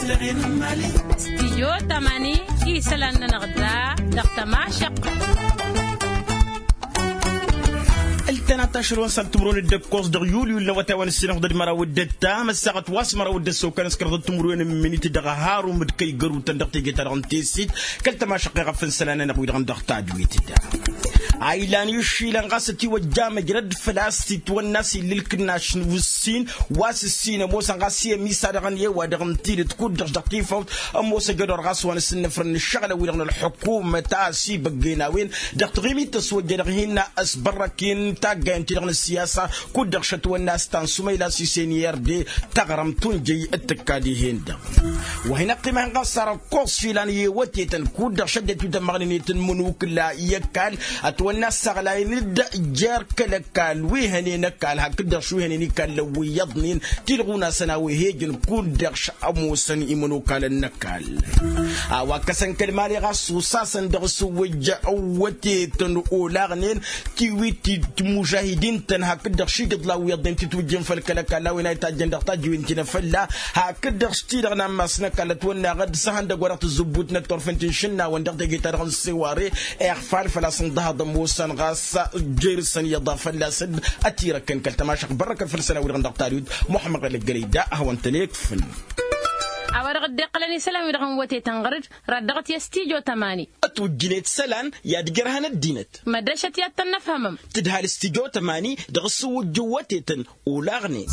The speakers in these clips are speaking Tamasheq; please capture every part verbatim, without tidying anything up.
Stijyo tamani isălan-nănăɣ da dăɣ-tămašăqq. Ǝltănat ašăl wa n-sal timǝrwen d-ǝkkoẓ dăɣ-yulyul n-awătay wa n-ǝssinăɣ d-măraw d-ǝttam ăssaɣăt wa s-măraw d-ăssokăn s-kăraḍăt timǝrwen n-imǝnit dăɣ-harumǝd kăy-gărutăn dăɣ-teje-ta-dăɣ n-tesit kăl-tămašăqq i-ɣăf n-isălan-nănăɣ wi-dăɣ n-dăɣ-tadwit-da. A ilan išilan ɣas ătiwăjja măjrăd făl-a-s itwănna s-illa ǝlkǝnnaš n-wǝssin wa s-ǝssin ămoosăn ɣas i-ămisa dăɣ-ănn i-ăwadăɣ n-tidǝt kud-dăɣ dăɣ-tifawt ămoos ăjădor ɣas wa n-asǝnnăfrăn n-ǝššăɣǝlăn-wi-dăɣ n-ălḥukumăt a ăsibăggen a-wen dăɣ-taɣimit tăswăjja dăɣ-hin-asbărrăk-in taggayen-ti-dăɣ n-ăssiyasa kud-dăɣ šătwănna a-s ta n-sumăyla s-isen i-ărde taɣrămt tunjăy d-tǝkka dihen-dăɣ. Wa hin-ăqqima-hin ɣas ar ăkkoẓ išilan i-ewătetăn kud-dăɣ šăddinăt wi tămmăɣnen i-tǝnmǝnukǝla i-ăkall ătwănna ăssaɣlayăn-dd jer-kăl-ăkall wi hănen ăkall hakd-dăɣ šwi hănen ikallăn wi iyyăḍnen tilɣun-asăn a-wa he-ǝjǝn kud-dăɣ š-ămoosăn imănokalăn n-ăkall. A-wa ǝkkăsăn kăl-mali ɣas osasăn dăɣ-asǝwwǝjja ăwwătetăn olaɣnen tiwit-i tǝmmužahidin-tăn hakd-dăɣ šijiḍlaw iyyăḍnen titwǝjjen făll-kăl-ăkall a-wen a itajjăn dăɣ-tajǝwen ti n-afălla hakd-dăɣ s-ti-dăɣ n-ammas n-ăkall ătwănna ɣǝd s-ehăndăg wa dăɣ-tǝzzǝbbut n-ăttorf n-tinšǝnnawăn dăɣ-teje-ta-dăɣ n-seware iɣfal făl-a-s ǝnḍăhăḍ ămoosăn ɣas jer-săn iyyăḍ a fălla-s dd-ătirăkkăn kăl-tămašăɣt bărrăkăn făll-isălan-wi-dăɣ n-dăɣ-tadwit muḥămmăd ɣălăggălăy da ad-hawăn-tăn-ikfǝn. A-wa-dăɣ dd-iqqălăn isălan-wi-dăɣ n-wătetăn ɣăr-dd rad-dăɣ-t i-s tijo tămani. Ătwǝjjǝnet isălan i-ad-ǝjrăhăn ăddinăt. Mădrăšăt i-ad-tăn-năfhămăm. Tǝdhal s-tijo tămani dăɣ-asǝwwǝjjǝw wătetăn olaɣnen.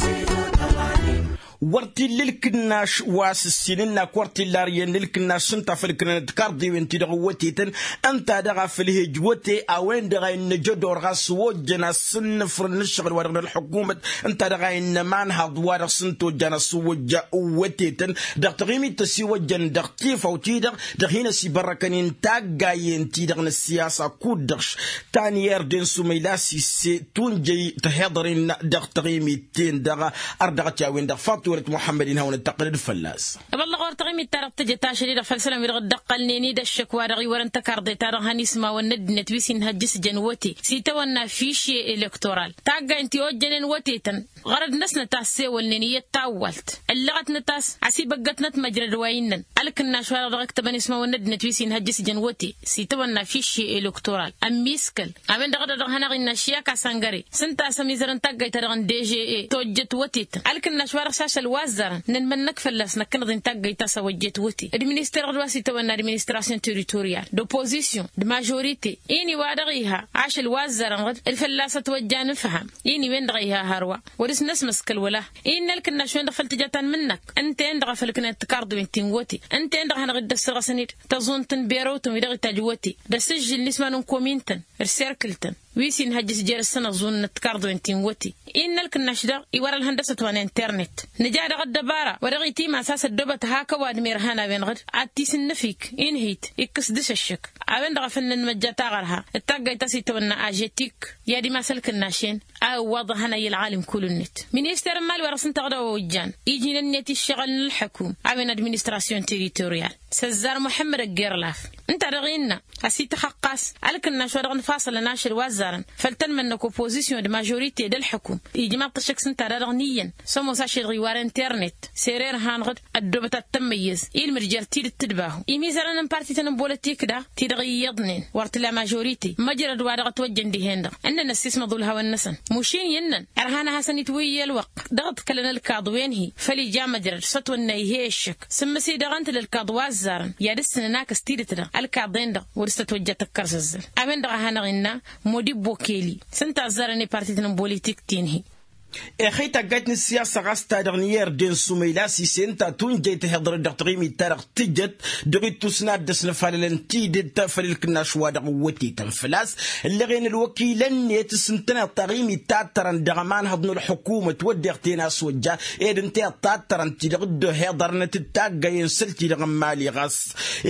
Wăr t-illa ǝlkǝnnaš wa s-ǝssin ǝnn-ak wăr t-illa ar iyyăn ǝlkǝnnaš s-ǝnta a făl ǝknănăt tikarḍewen-ti-dăɣ n-wătetăn. Ǝnta daɣ a făl ih'-ej wăte a-wen-dăɣ a innă jădor ɣas s-ojjăn asǝnnǝfrǝn n-ǝššăɣǝl-wa-dăɣ n-ălḥukumăt ǝnta daɣ a innă imanhaḍ wa dăɣ-s ǝnta ojjan asǝwwăjja wătetăn dăɣ-taɣimit tăsiwăjjăn dăɣ-tifawt-i-dăɣ dăɣ-hin-ăsibărrăkăn i-n taggayen-ti-dăɣ n-ăssiyasa kud-dăɣ ta n-irdin sumăyla sise tunjăy tăhiḍăr-in dăɣ-taɣimit-ten-dăɣ. Ărdăɣăt i-a-wen-dăɣ faḍt iwălăt muḥămmăd-in hawăn-dd-tăqqǝlăd fălla-s. Ăbăllăɣ wăr taɣimit-ta-dăɣ tǝjăt ašăl-i-dăɣ făll-isălan-wi-dăɣ dd-ăqqălnen-dd ăššăk wa dăɣ-iwărăn tăkarḍe-ta-dăɣ hănismawăn n-ăddinăt wi s-inhăjjǝsjăn wăte s-itawănna fišye elektoral taggayen ti ojjănen wătetăn. Ɣărăd-năsnăt a ăssewălnen iyyăt tawwalt ǝllăɣătnăt a-s ăsibăggătnăt măjrăd wa innăn ălkǝnnaš wa-dăɣ dăɣ-ǝktăbăn ismawăn n-ăddinăt wi s-inhăjjǝsjăn wăte s-itawănna fišye elektoral ămmiskăl. A-wen-dăɣ a dăɣ-hanăɣ-innă ašyak asăngăre s-ǝnta a-s ămizărăn taggayt-ta-dăɣ n-deže tojjăt wătetăn ălkǝnnaš wa dăɣ-s ašăl wa ăzzarăn nǝnmănnăk fălla-s năkkănăḍ-in taggayt ta s-a ojjet wăte d-minister-dăɣ d-wa s-itawănna administrasyon teritoriyal d-oppozisyon d-mažorite. Ini wa dăɣ-iha ašăl wa ăzzarăn ɣǝd d-fălla-s ătwăjja nǝfham ini-wen-dăɣ a iha hărwa wăr-s năsmăskăl wăla. Innă ălkǝnnaš-wen-dăɣ făll-tǝja ta n-imǝnnak ǝnta-en-dăɣ a făl ǝknănăt tikarḍwen ti n-wăte ǝnta-en-dăɣ a hanăɣ-dd-ăssărɣăsăn-dd tăẓunt n-berăw-tăn wi-dăɣ itajj wăte d-asǝžžǝl n-isman n-komin-tăn d-serkǝl-tăn wi s-inhăjjǝs jer-săn ăẓunăt tikarḍwen ti n-wăte. Innă ălkǝnnaš daɣ iwăr ălhăndăsăt wa n-internet nǝja daɣ ăddăbara wa dăɣ-itimas a-s ăddoobăt hak ăwadǝm irhan a-wen-dăɣ d-ad-t-isǝnnǝfik inhit ikkǝs dăɣ-s ăššăk. A-wen-dăɣ a făl nănmăjja taɣărha d-taggayt ta s-itawănna ažetik i-ad-imas ălkǝnnaš-en a ǝwwaḍăhăn a i-ălɣalim kullu-net. Minister n-imali wa dăɣ-s ǝnta a dd-ojjan iji n-ǝnniyăt i-ǝššăɣǝl n-ălḥăkum a-wen administrasyon teritoriyal s-ăzzar muḥămmăd ăggerlaf ǝnta-dăɣ innă a-s ităxăqqas ălkǝnnaš wa dăɣ-nǝfaṣălăn ašăl wa ăzzarăn făll-tănmănnăk oppozisyon d-mažorite d-ălḥăkum ijmaḍ-t ăššăk s-ǝnta-da-dăɣ n-iyyăn s-ămoos ašăl-dăɣ iwarăn internet. Sere irhan ɣǝd ăddoobăt ad-tămmăyyăz ilmǝd jer-tidǝt tǝdbahu imizărăn n-parti-tăn n-bolătik daɣ ti-dăɣ iyyăḍnen wăr t-ila mažorite măjrăd wa dăɣ-ătwăjjăn dihen-dăɣ ǝnnăn ăssismăḍ ulhawăn-năsăn mušin i-ǝnnăn ărhan ad-hasăn-itwǝyyăl ălwăqq dăɣ-ǝḍkălăn ălkaḍ wen-hi făll-ija măjrăd s-ătwănna ih'-e ăššăk sǝmmǝs-i dăɣ-ǝntǝl ǝlkaḍ wa ăzzarăn i-ad-ǝssǝnăn akǝs tidǝt-dăɣ ălkaḍen-dăɣ wăr-s tătwăjja tăkkărzăzzăl. A-wen-dăɣ a hanăɣ-innă modibo keli s-ǝnta a ăzzarăn i-parti-tăn n-politik ti n-hi. Exăy taggayt n-ǝssiyasa ɣas ta-dăɣ n-irdin sumăyla s-ise ǝnta tunjăy tăhiḍărăt dăɣ-taɣimit-ta-dăɣ tǝjăt dăɣ-ittus n-ad-dd-ăsnăfalălăn tidǝt făll-ǝlkǝnnaš wa dăɣ-wătetăn făl-a-s ǝllăɣen ălwăkilăn-net s-ǝntăneḍ taɣimit ta ǝttărăn dăɣ-ămanhăḍ n-ălḥukumăt wădden ten a-s ojja ed ǝnta iḍtattărăn-ti-dăɣ dd-ohiḍărnăt d-taggayen săl-ti-dăɣ n-imali ɣas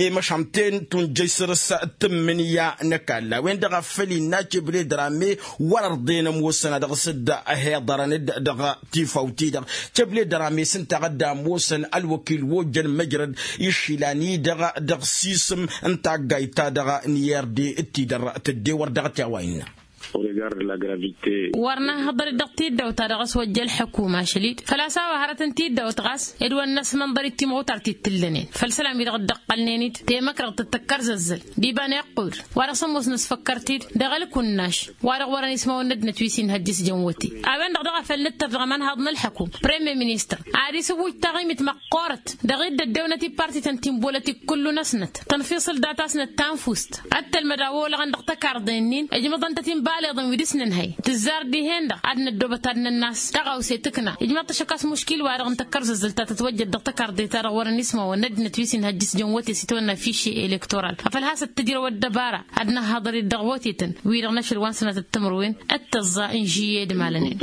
i-măšan-ten tunjăy săr-s tǝmmǝnǝya n-ăkall a-wen-dăɣ a făl innă cebledărame wăr-ărḍen ămoosăn a dăɣ-s dd-hiḍărăn-dd dăɣ-tifawt-i-dăɣ. Cebledărame s-ǝnta a dd-ămoosăn ălwăkil wa ojjăn măjrăd išilan-i-dăɣ dăɣ-sisǝm n-taggayt-ta-dăɣ n-irdin d-ti-dăr tădde wăr dăɣ-t i-a-wa innă. Wăr năhhăḍăr-dd dăɣ-tiddawt-ta-dăɣ s-wăjja ălḥăkum ašăl-dd făl-a-s a-wa hărătăn tiddawt ɣas ed wăr năsmănḍăr-dd timɣutar ti t-ǝllănen făll-isălan-wi-dăɣ dd-ăqqălnen-dd temăkrăɣt d-tăkkărzăzzăl d-iba n-iqqud wa-dăɣ s-ămoos nǝsfăkkăr-t-dd dăɣ-ălkunaš wa-dăɣ wărăn ismawăn n-ăddinăt wi s-inhăjjǝs jăn wăte. A-wen-dăɣ daɣ a făl nǝttăr dăɣ-imănhaḍ n-ălḥăkum premier ministăr ad-isǝwwǝj taɣimit măqqoorăt dăɣ-dd-ăddewnăt i-partităn ti n-bolătik kullu-năsnăt tănfiṣǝl data-snăt tanfust ăttălmăd a olăɣăn dăɣ-tăkarḍe-nin ǝjmăḍăn-tăt inbaleḍăn wi dăɣ-s nǝnhăy tǝzzar dihen-dăɣ ad-năddobăt ad-nănnas taɣawse tǝkna ijmăḍ-t ašăk a-s muškil-wa-dăɣ n-tăkkărzăzzăl ta tătwăjjăd dăɣ-tăkarḍe-ta-dăɣ wărăn ismawăn n-ăddinăt wi s-inhăjjǝs jăn wăte s-itwănna fiše elektoral afăl has-ăttǝjrăw ăddăbara ad-năhhăḍăr-dd dăɣ-wătetăn wi-dăɣ n-ašăl wa n-sănatăt timǝrwen d-tăẓẓa n-žiyed malănen.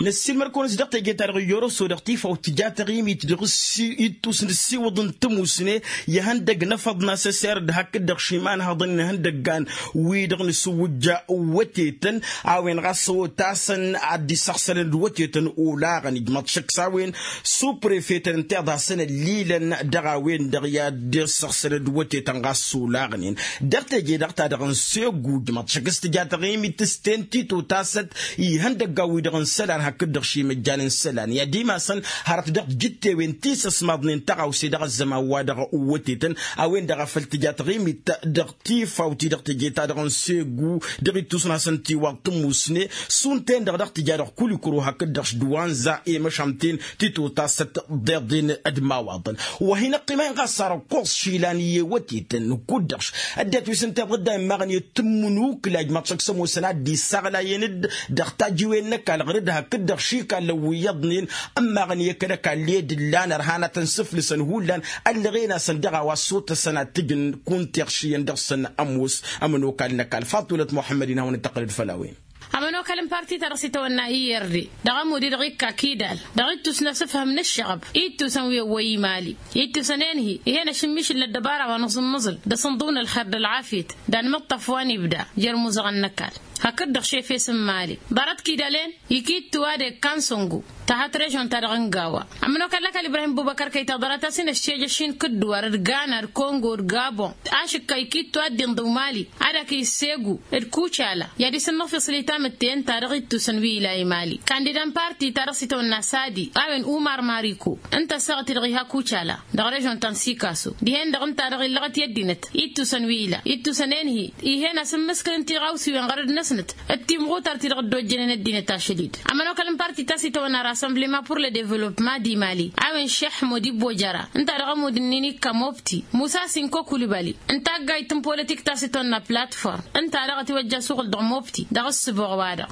Năssiilmăr-kăwăn-s dăɣ-teje-ta-dăɣ i-oroso dăɣ-tifawt tǝja taɣimit dăɣ-s ittus n-ǝssiwǝḍ n-tămusne i-ihăndăg n-afăḍ n-asăser d-hakd-dăɣ šimanhăḍăn n-ihăndăggan wi-dăɣ nǝsǝwwǝjja wătetăn a-wen ɣas otasăn ad-dd-isăɣsălăn d-wătetăn olaɣăn ijmăḍ šăkk s-a-wen suprefetăn ǝnta iḍasăn ăllilăn dăɣ-a-wen-dăɣ i-ad-dd-isăɣsălăn d-wătetăn ɣas olaɣnen dăɣ-teje-dăɣ ta dăɣ-n segu ijmăḍ šăkk s-tǝja taɣimit s-ten titotasăt ihăndăggan wi-dăɣ n-isălan hakd-dăɣ šimăjjan n-isălan i-ad-imasăn hărăt dăɣ-tijǝttewen ti s-ăsmaḍnen tăɣawse dăɣ-ăzzăman-wa-dăɣ wătetăn a-wen-dăɣ a făl tǝja taɣimit dăɣ-tifawt-i-dăɣ teje-ta-dăɣ n-segu dăɣ-ittus n-hasăn-tiwaḍ tămusne šund-ten-dăɣ dăɣ-tǝja dăɣ-kulikuro hakd-dăɣ s-dăwanza i-măšan-ten titotasăt ḍeḍen d-imawaḍăn wa hin-ăqqima-in ɣas ar ăkkoẓ išilan i-wătetăn kud-dăɣ ăddinăt wi s-ǝnta iḍădda immaɣăn i-tǝmmǝnukǝla ijmaḍ šăkk s-ămoosăn ad-dd-isaɣlayăn-dd dăɣ-tajiwen n-ăkall ɣǝr-dd hakd-dăɣ šikallăn wi iyyăḍnen ǝmmaɣăn i-kăl-ăkall i-dd-ǝllan ărhanatăn s-ǝflǝsăn hullan ăllăɣen-asăn dăɣ-a-wa s-otăsăn ad-t-ǝjǝn kunta iɣšiyăn dăɣ-săn ămoos ămănokal n-ăkall faḍulăt muḥămmăd-in hawăn-dd-tăqqălăd făll-a-wen. Ămănokal n-parti-ta-dăɣ s-itawănna i-erd dăɣ-ămud-i-dăɣ ikka kidal dăɣ-ittus n-asǝfhǝm n-ǝššăɣăb i-ittusăn wi ăwwăy imali i-ittusăn enhi ih'-en ašǝmmišǝl n-ăddăbara wa n-aẓǝmmăẓǝl d-asǝnḍǝw n-ălxer d-ălɣafyăt d-anmǝṭṭaf wa n-ibda jer-imuzăɣăn n-ăkall hakd-dăɣ šefes n-imali ḍarăt kidal-en ikittu ad-ekkan săngu tahăt režon-ta-dăɣ n-gawa. Ămănokal n-ăkall ibrahim bubăkăr kăy-taḍărat a-s inăššejăš-in kǝddǝwar d-gana d-kongo d-gabon ašǝkka ikittu ad-dd-inḍǝw mali ad-ak issegu d-kucala i-ad-isǝnnăɣ fiṣli tamǝtte ǝnta-dăɣ ittusăn wi ila i-mali kandida n-parti-ta-dăɣ s-itawănna sadi a-wen umar mariko ǝnta ăssaɣăt-i-dăɣ iha kucala dăɣ-režon ta n-sikaso dihen-dăɣ ǝnta-dăɣ illăɣăt i-ăddinăt ittusăn wi ila ittusăn enhi ih'-en asǝmmǝskǝlăn tiɣawsiwen ɣărăd-năsnăt d-timɣutar-ti-dăɣ dd-ojjănen ăddinăt ašăl-dd. Ămănokal n-parti ta s-itawănna rassemblema pur le developma d-imali a-wen šeḥmo d-ibojăra ǝnta dăɣ-ămud-ǝnnin ikka mobti musa sinko kulibali n-taggayt n-politik ta s-itawănna platform ǝnta dăɣ-ătiwăjja asuɣǝl dăɣ-mobti dăɣ-ǝssǝboɣ-wa-dăɣ.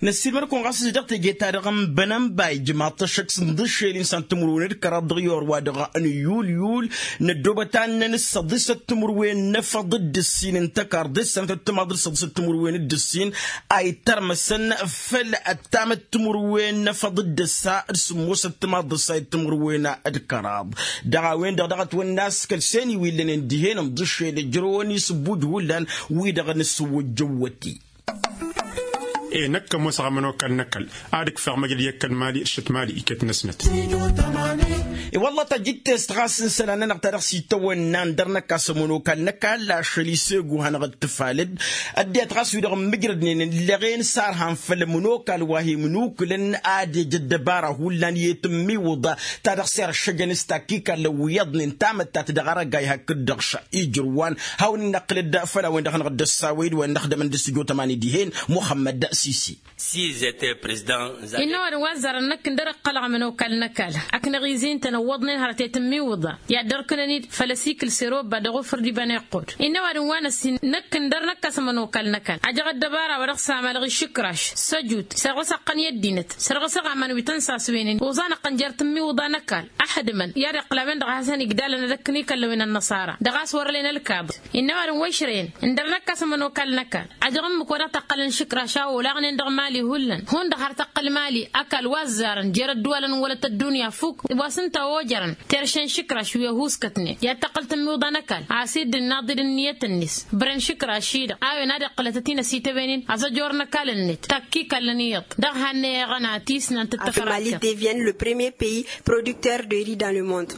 Năssiilmăr-kăwăn ɣas s-dăɣ teje-ta-dăɣ n-bănănba ijmaḍ-t ăššăk s-ǝnḍǝššel-in s-an timǝrwen d-kăraḍ dăɣ-iwăr-wa-dăɣ n-yulyul n-ăddoobăt a ǝnnăn s-săḍisăt timǝrwen n-efăḍ d-ǝssin n-tăkarḍe s-sănătăt timaḍ d-săḍisăt timǝrwen d-ǝssin a ittărmăsăn făll-ăttamăt timǝrwen n-efăḍ d-ǝssa d-sǝmmosăt timaḍ d-ǝssa i-timǝrwen d-kăraḍ. Dăɣ-a-wen-dăɣ dăɣ-ătwănna a-s kăl-seni wi ǝllănen dihen ǝnḍǝššel ǝjrăwăn isǝbbuj hullan wi-dăɣ n-asǝwwǝjjăw wăti. E-năkk ămoosăɣ ămănokal n-ăkall ad-ǝkfeɣ măjrăd i-ăkall mali d-šăt mali iket-năsnăt. I-wălla tajǝttest ɣas n-isălan-nănăɣ ta dăɣ-s itawănna ǝndăr-năkk a-s ămănokal n-ăkall ašăl isegu hanăɣ-dd tǝfalăd. Ăddinăt ɣas wi-dăɣ ǝmmǝjrădnen ǝllăɣen s-arhan făll-ămănokal wa hi-imǝnukǝlăn ad-ej ăddăbara hullan i-tǝmmiwǝḍa ta dăɣ-s iršăjăn s-takkikallăn wi iyyăḍnen tamăttat dăɣ-arăgay hakd-dăɣ ša ijrǝwwan. Hawăn-in-năqqǝlăd făll-a-wen-dăɣ hanăɣ-dd-ăssawăy d-wa n-ăxdămăn d-sǝjo tămani dihen muxămmăd sisi. Innă ăwadǝm wa ăzzarăn năkk ǝndăr ǝqqălăɣ ămănokal n-ăkall ăknăɣ izintăn ǝwwăḍnen hărăt i-tǝmmiwǝḍa i-ad-dd-ărkǝnăn-dd făll-ăsikǝl s-erobba dăɣ-ofăr d-iba n-iqqud. Innă ăwadǝm wa năssin năkk ǝndăr năkk a-s ămănokal n-ăkall ajăɣ ăddăbara wa dăɣ-s amalăɣ išǝkraš săjut sărɣǝs ăqqăn i-ăddinăt sărɣǝs aɣaman wi tăn-saswenen oẓan ăqqăn jer-tǝmmiwǝḍa n-ăkall. Ăxdǝmăn i-ad-iqqǝl a-wen-dăɣ a hasăn-igdalăn ad-ăkk n-ikăllăwen ănnăṣara dăɣ-a-s wăr-ălen ălkaḍ. Innă ăwadǝm wa išrăyăn ǝndăr năkk a-s ămănokal n-ăkall ajăɣ ǝmmǝk wa dăɣ-tăqqălăn išǝkraš a olaɣnen dăɣ-mali hullan hundăɣ har tăqqăl mali ăkall wa ăzzarăn jer-ădduwalăn n-wălăt ăddunya fuk wa s-ǝnta a ojărăn terše n-išǝkraš wi ăhuuskătnen i-ad-tăqqăl tǝmmiwǝḍa n-ăkall a-s dd-ǝnnaḍ-dd ǝnniyăt-net. Bren išǝkraš-i-dăɣ a-wen ad-iqqǝlătăt-in ăsităwen-in ăẓăjor n-ăkall-net takkikallăn iyyăḍ dăɣ-hannăy eɣăna tisnant d-tăfraktăn. Devienne le premier pays producteur de riz dans le monde.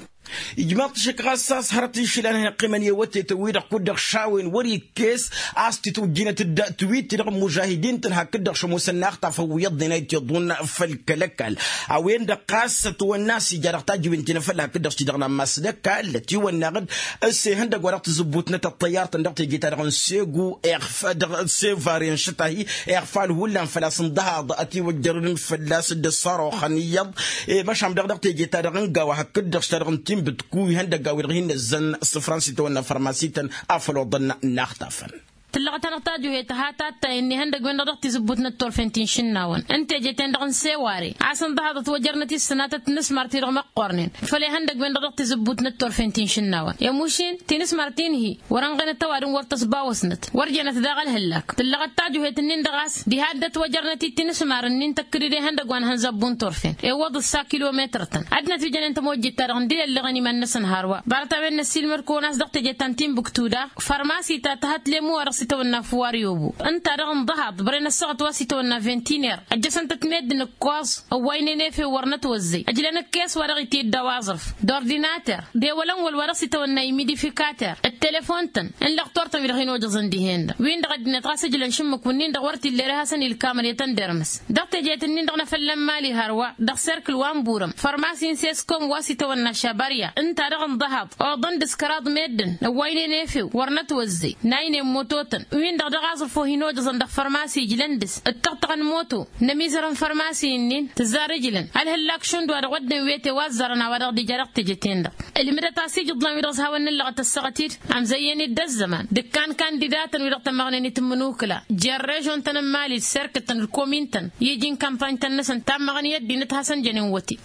Ijmaḍ-t šik ɣas a-s hărăt išlan hin-ăqqimăn i-awătetăn-wi-dăɣ kud-dăɣ šawen wăr-ikkes a-s titwǝjjinăt-dd tiwit-ti-dăɣ n-mužahidin-tăn hakd-dăɣ šămusăn n-axtafăn wi iyyăḍnen a itiḍun făll-kăl-ăkall. A-wen-dăɣ ɣas ătwănna a-s ija dăɣ-tajǝwen ti n-afălla hakd-dăɣ s-ti-dăɣ n-ammas d-ăkall ătiwănnaɣ-dd ăssehăn dăgg-wa-dăɣ tǝzǝbbutnăt ăṭṭăyyar-tăn dăɣ-teje-ta-dăɣ n-segu iɣf dăɣ-sevare n-išǝt-ahi iɣfal hullan făl-a-s ǝnḍăhaḍ ătiwăjjărăn fălla-s dd-ăṣṣaroxăn iyyăḍ. E măšan dăɣ-dăɣ teje-ta-dăɣ n-gawa hakd-dăɣ s-ta-dăɣ n-tinbǝtku ihăndăgga-wi-dăɣ hin-năzzăn s-fransa itawănna fărmas-ităn afăl oḍăn n-axtafăn. Tǝllăɣăt-anăɣ tajuhet ha tattay ǝnni ihăndăgg-wen-dăɣ dăɣ-tizǝbbut n-ăttorfen ti n-išǝnnawăn n-teje-ten-dăɣ n-seware a-s ǝnḍăhaḍăt wăjărnăt i-ǝssǝnatăt tinǝsmar-ti-dăɣ măqqornen făll-ihăndăgg-wen-dăɣ dăɣ-tizǝbbut n-ăttorfen ti n-išǝnnawăn i-mušin tinǝsmar-ti-n-hi wăr-ănɣănăt ăwadǝm wăr tăsbawăsnăt wăr jănăt daɣ ălhǝllak. Tǝllăɣăt tajuhet-nin-dăɣ a-s diha dd-ătwăjărnăt-dd tinǝsmar-nin tăkkǝdǝd ihăndăg wa n-hănzabbu n-turfen iwwăḍ ǝssa kilometăr-tăn ăddinăt wi jănen tămojjit-ta-dăɣ n-dd-ilăllăɣăn iman-năsăn hărwa. Ḍarăt a-wen năssiilmăd-kăwăn a-s dăɣ-teje ta n-tinbǝktu daɣ fărmas-i ta tăhăt lemmu wa dăɣ-s itawănna făwar i-obo ǝnta-dăɣ ǝnḍăhaḍ bărăy n-ăssaɣăt wa s-itawănna vinti n-er ăjjăsăn-tăt meddǝn ǝkkoẓ ăwwaynen efew wăr nătwăzzăy ăjlăn ǝkkes wa dăɣ-itedda wa aẓrǝf d-ordinater d-ewălăn wăl wa dăɣ-s itawănna imidifikater d-telefon-tăn n-lăqtor-tăn wi-dăɣ hin-ojăẓăn dihen-dăɣ win-dăɣ ăddinăt ɣas ǝjlăn šǝmmǝk-wǝnnin-dăɣ wăr t-illa ere hasăn-ilkamăn i-tăn dermǝs. Dăɣ-tejet-ǝnnin-dăɣ n-afălla n-mali hărwa dăɣ-serkǝl wa n-burăm fărmas-in seskom wa s-itawănna šabarya ǝnta-dăɣ ǝnḍăhaḍ oḍăn dăɣ-s kăraḍ meddǝn ăwwaynen efew wăr nătwăzzăy n-aynen moto-tăn win-dăɣ dăɣ-aẓrǝf wa hin-ojăẓăn dăɣ-fărmas ijlăn dăɣ-s ǝttăɣtăɣăn moto n-ămizărăn fărmasi-nin tǝzzar ǝjlăn ălhǝllak šund wa dăɣ-wădden wete wa ăzzarăn a-wa dăɣ-dija dăɣ-teje-ten-dăɣ. Ǝlmǝdăt a-s ijǝḍlan wi-dăɣ s-hawăn-nǝllăɣăt ăssaɣăt-dd amzăyyăn-dd ăzzăman d-ǝkkan kandidatăn wi-dăɣ tămmăɣnen itǝmmǝnukǝla jer-režon-tăn n-mali d-serkǝt-tăn d-komin-tăn i-iji n-kampany-tăn-năsăn tammăɣăn i-ăddinăt hasăn-jănen wăte.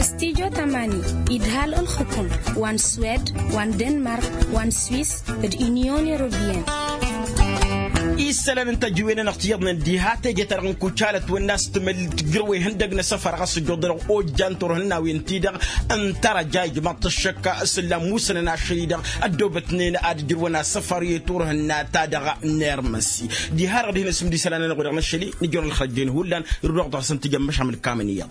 Stijo tamani idhal ǝlxǝkum wa n-swed wa n-denmark wa n-swis d-inyon europeyăn. Isălan n-tăjǝwen-anăɣ tiyyăḍnen diha teje-ta-dăɣ n-kucalăt wănna a-s tǝmăl tǝjrăw ihăndăg n-asăfar ɣas ǝjjuḍănăɣ ojjan turhǝnnawen-ti-dăɣ n-tărăja ijmaḍ-t ăššăk s-ǝllan musănăn ašăl-i-dăɣ ăddoobătnen ad-ǝjrǝwăn asăfar i-turhǝnna-ta-dăɣ n-ermăsi. Diha-dăɣ dihen-asǝm d-isălan-anăɣ-wi-dăɣ n-ašăl-i nǝjrăw ălxărăjjen hullan irduɣ-dăɣ-săn tǝjăm măšan mǝlkamăn iyyăḍ.